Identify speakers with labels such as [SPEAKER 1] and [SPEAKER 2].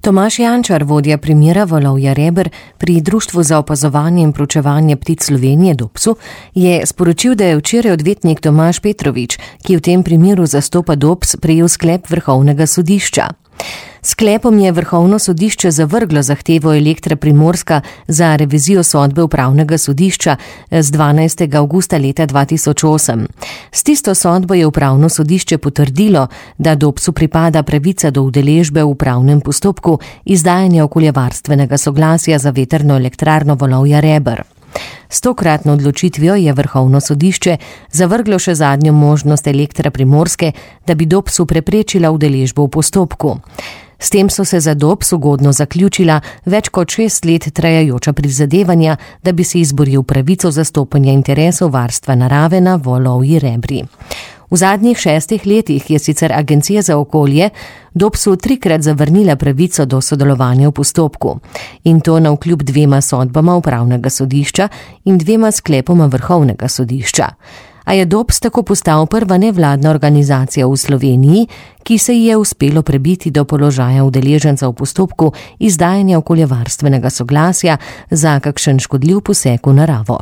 [SPEAKER 1] Tomaž Jančar, vodja primera Valovja Reber pri Društvu za opazovanje in proučevanje ptic Slovenije Dobsu, je sporočil, da je včeraj odvetnik Tomaž Petrovič, ki v tem primeru zastopa Dobs, prejel sklep Vrhovnega sodišča. Sklepom je Vrhovno sodišče zavrglo zahtevo Elektra Primorska za revizijo sodbe Upravnega sodišča z 12. avgusta leta 2008. S tisto sodbo je Upravno sodišče potrdilo, da Dobsu pripada pravica do udeležbe v upravnem postopku izdajanja okoljevarstvenega soglasja za vetrno elektrarno Valovja Reber. S tokratno odločitvijo je Vrhovno sodišče zavrglo še zadnjo možnost Elektra Primorske, da bi Dobsu preprečila udeležbo v postopku. S tem so se za Dobs ugodno zaključila več kot 6 let trajajoča prizadevanja, da bi si izboril pravico zastopanja interesov varstva narave na Valovji Rebri. V zadnjih 6 letih je sicer Agencija za okolje Dobsu 3-krat zavrnila pravico do sodelovanja v postopku. In to navkljub 2 sodbama Upravnega sodišča in 2 sklepoma Vrhovnega sodišča. A je Dobs tako postal prva nevladna organizacija v Sloveniji, ki se ji je uspelo prebiti do položaja udeleženca v postopku izdajanja okoljevarstvenega soglasja za kakšen škodljiv poseg v naravo.